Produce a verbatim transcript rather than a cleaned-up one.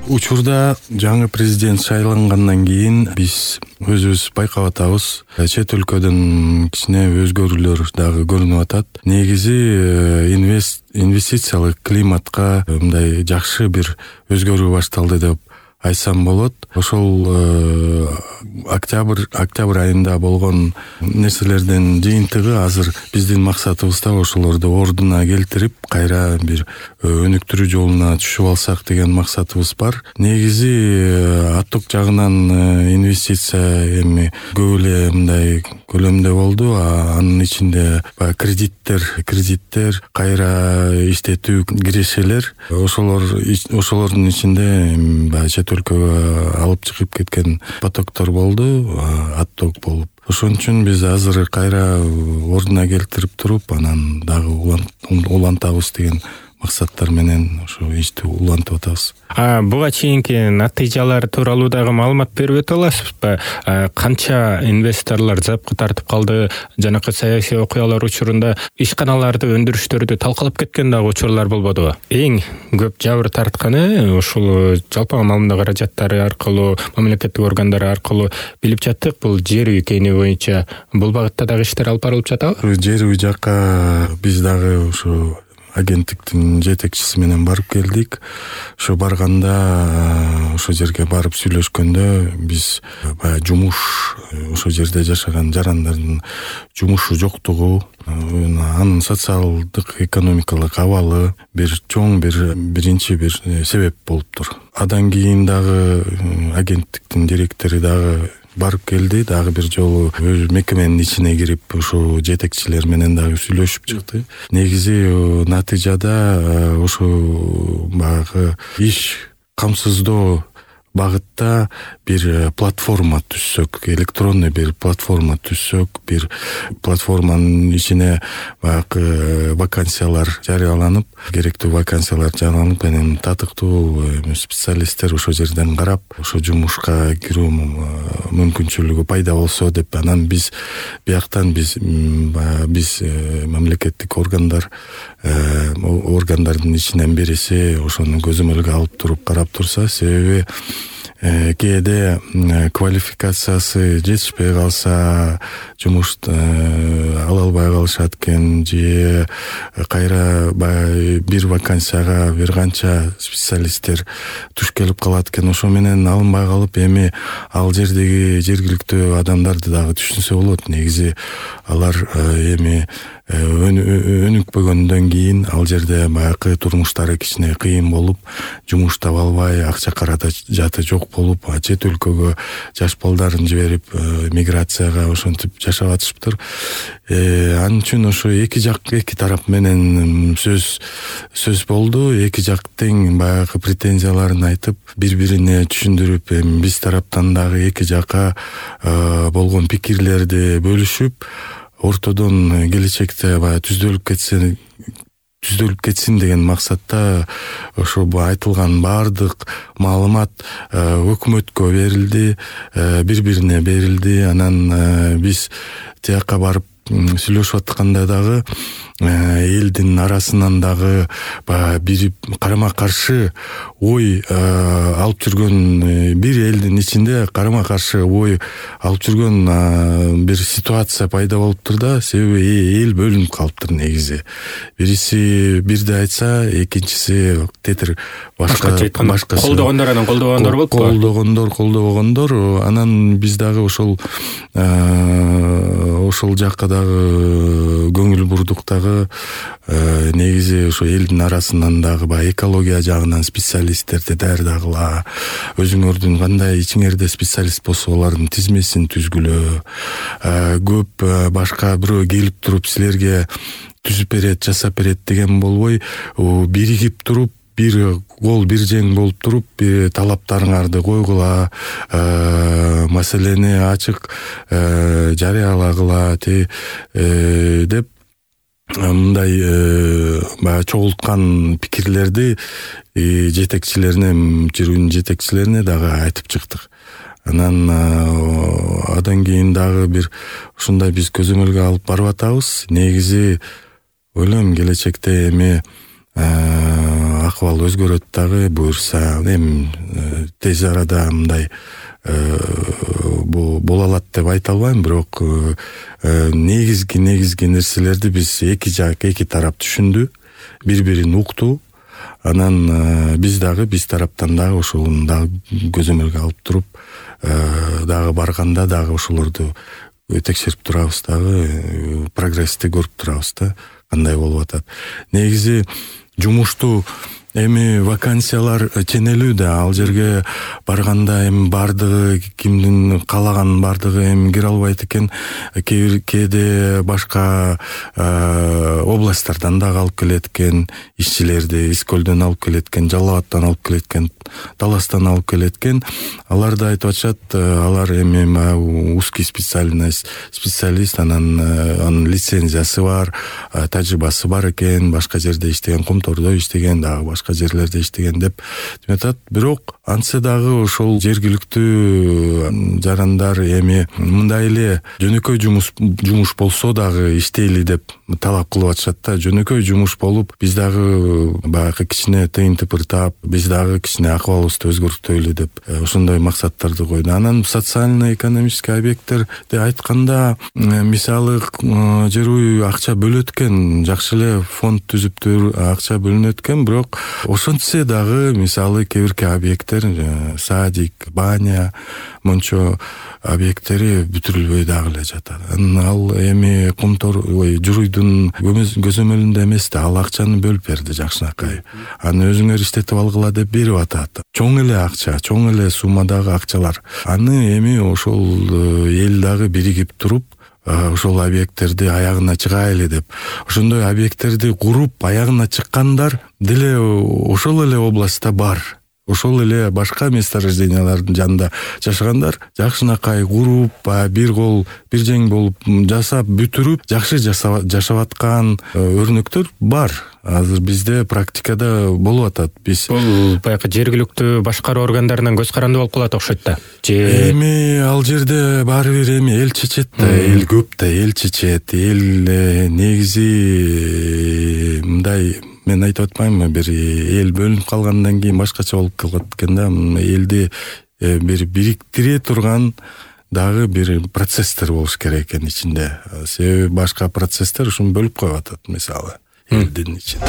Учурда жаңы президент шайлангандан кийин биз өзүбүз байкап атабыз. Чет өлкөдөн кичине өзгөрүүлөр дагы көрүнүп атат. Негизи инвест инвестициялык климатка мындай жакшы бир өзгөрүү башталды деп айтсам болот. Ошол э, октябрь октябрь айында болгон нерселердин жыйынтыгы азыр биздин максатыбызда ошолорду ордуна келтирип, кайра бир өнүктүрүү жолуна түшүп алсак деген максатыбыз бар. Негизи отток жагынан инвестиция эми көп эле мындай көлөмдө болду, а анын ичинде баягы кредиттер, кредиттер, кайра иштетүү кирешелер, ошолор ошолордун ичинде баягы чет өлкөгө алып чыгып кеткен потоктор болду, отток болуп. Ошон үчүн биз азыр кайра ордуна келтирип туруп, анан дагы улантабыз деген максаттар менен ошо ишти улантып атабыз. А буга чейинки натыйжалар тууралуу дагы маалымат берип өтө аласызбы? Канча инвесторлор запкы тартып калды? Жанакы саясий окуялар учурунда ишканаларды, өндүрүштөрдү талкалап кеткен дагы учурлар болбодубу? Эң көп жабыр тартканы ушул жалпы маалымат каражаттары аркылуу, мамлекеттик органдар аркылуу билип жаттык. Бул жер үй кейини боюнча бул багытта дагы иштер алып барылып жатабы? Жер үй жакка биз дагы ушу агенттиктин жетекчиси менен барып келдик. Ошо барганда, ошо жерге барып сүйлөшкөндө биз баягы жумуш, ошо жерде жашаган жарандардын жумушу жоктугу, анын социалдык, экономикалык абалы бир чоң бир биринчи бир себеп болуптур. Адан кийин дагы агенттиктин директору дагы барып келди, дагы бир жолу өз мекеменин ичине кирип, ошо жетекчилер менен дагы сүйлөшүп чыкты. Негизи натыйжада ошо баягы иш камсыздоо багытта бир платформа түзсөк, электронный бир платформа түзсөк, бир платформанын ичине баягы вакансиялар жарыяланып, керектүү вакансиялар жарыяланып, анан татыктуу специалисттер ошо жерден карап, ошо жумушка кирүү мүмкүнчүлүгү пайда болсо деп, анан биз бияктан биз биз мамлекеттик органдар органдардын ичинен бириси ошону көзөмөлгө алып туруп карап турса, себеби кээде квалификациясы жетишпей калса, жумушту ала албай калышат экен, же кайра бир вакансияга бир канча специалисттер туш келип калат экен. Ошо менен алынбай калып, эми ал жердеги жергиликтүү адамдарды дагы түшүнсө болот. Негизи алар эми өнүкпөгөндөн кийин ал жерде баягы турмуштары кичине кыйын болуп, жумуш таба албай, акча каражаты жок болуп, чет өлкөгө жаш балдарын жиберип миграцияга ошентип жашап атышыптыр. Анын үчүн ошо эки жак, эки тарап менен сөз сөз болду. Эки жак тең баягы претензияларын айтып, бири-бирине түшүндүрүп, эми биз тараптан дагы эки жакка болгон пикирлерди бөлүшүп, ортодон келечекте баягы түздөлүп кетсе түздөлүп кетсин деген максатта ошо айтылган баардык маалымат өкмөткө берилди, бири-бирине берилди. Анан биз тияка барып сүйлөшүп атканда дагы элдин арасынан дагы бири карама каршы ой алып жүргөн, бир элдин ичинде карама каршы ой алып жүргөн бир ситуация пайда болуптур да. Себеби эл бөлүнүп калыптыр негизи. Бириси бирди айтса, экинчиси тетир башка башка колдогондор анан колдобогондор болуп колдогондор колдобогондор анан биз дагы ошол ошол жакка дагы көңүл бурдук. Дагы негизи ошо элдин арасынан дагы баягы экология жагынан специалисттерди даярдагыла, өзүңөрдүн кандай ичиңерде специалист болсо алардын тизмесин түзгүлө, көп башка бирөө келип туруп силерге түзүп берет, жасап берет деген болбой, биригип туруп, бир кол бир жең болуп туруп, талаптарыңарды койгула, маселени ачык жарыялагыла деп мындай баягы чогулткан пикирлерди жетекчилерине, жүрүүнүн жетекчилерине дагы айтып чыктык. Анан адан кийин дагы бир ушундай биз көзөмөлгө алып барып атабыз. Негизи ойлойм келечекте эми ак акыбал өзгөрөт дагы буюрса, эми тез арада мындай боло алат деп айта албайм, бирок негизги негизги нерселерди биз эки жак эки тарап түшүндү, бири бирин укту. Анан биз дагы биз тараптан дагы ошону дагы көзөмөлгө алып туруп, дагы барганда дагы ошолорду текшерип турабыз, дагы прогрессти көрүп турабыз да, кандай болуп атат. Негизи жумушту эми вакансиялар ченелүү да, ал жерге барганда эми бардыгы кимдин каалаган бардыгы эми кире албайт экен. Кээде башка областтардан дагы алып келет экен, ишчилерди Искөлдөн алып келет экен, Жалал Абадтан алып келет экен, Таластан алып келет экен. Алар да айтып атышат, алар эми узкий специальность специалист, анан анын лицензиясы бар, тажрыйбасы бар экен, башка жерде иштеген, Кумтордо иштеген, дагы башка жерлерде иштеген деп атат. Бирок антсе дагы ошол жергиликтүү жарандар эми мындай эле жөнөкөй жумуш жумуш болсо дагы иштейли деп талап кылып атышат да. Жөнөкөй жумуш болуп, биз дагы баягы кичине тыйын тыпыртап, биз дагы кичине акыбалыбызды өзгөртөлү деп ошондой максаттарды койду. Анан социально-экономический объекттерди айтканда, мисалы жер акча бөлөт экен, жакшы эле фонд түзүптүр, акча бөлүнөт экен, бирок ошентсе дагы мисалы кээ бирки объекттер, садик, баня, мончо объекттери бүтүрүлбөй дагы эле жатат. Ал эми Кумтор ой Журуйдун көзөмөлүндө эмес да, ал акчаны бөлүп берди жакшынакай. Аны өзүңөр иштетип алгыла деп берип атат. Чоң эле акча, чоң эле суммадагы акчалар. Аны эми ошол эл дагы биригип туруп, ошол объекттерди аягына чыгайлы деп, ошондой объекттерди куруп аягына чыккандар деле ошол эле областта бар. Ошол эле башка месторождениялардын жанында жашагандар жакшынакай куруп, бир кол, бир жең болуп жасап бүтүрүп, жакшы жашап аткан өрнөктөр бар. Азыр бизде практикада болуп атат. Биз бул баягы жергиликтүү башкаруу органдарынан көз каранды болуп калат окшойт да. Эми ал жерде баары бир эми эл чечет да, эл көп да, эл чечет, эл негизи мындай, мен айтып атпаймынбы, бир эл бөлүнүп калгандан кийин башкача болуп калат экен да. Элди бир бириктире турган дагы бир процесстер болуш керек экен ичинде. Себеби башка процесстер ушуну бөлүп коюп атат, мисалы элдин ичинде.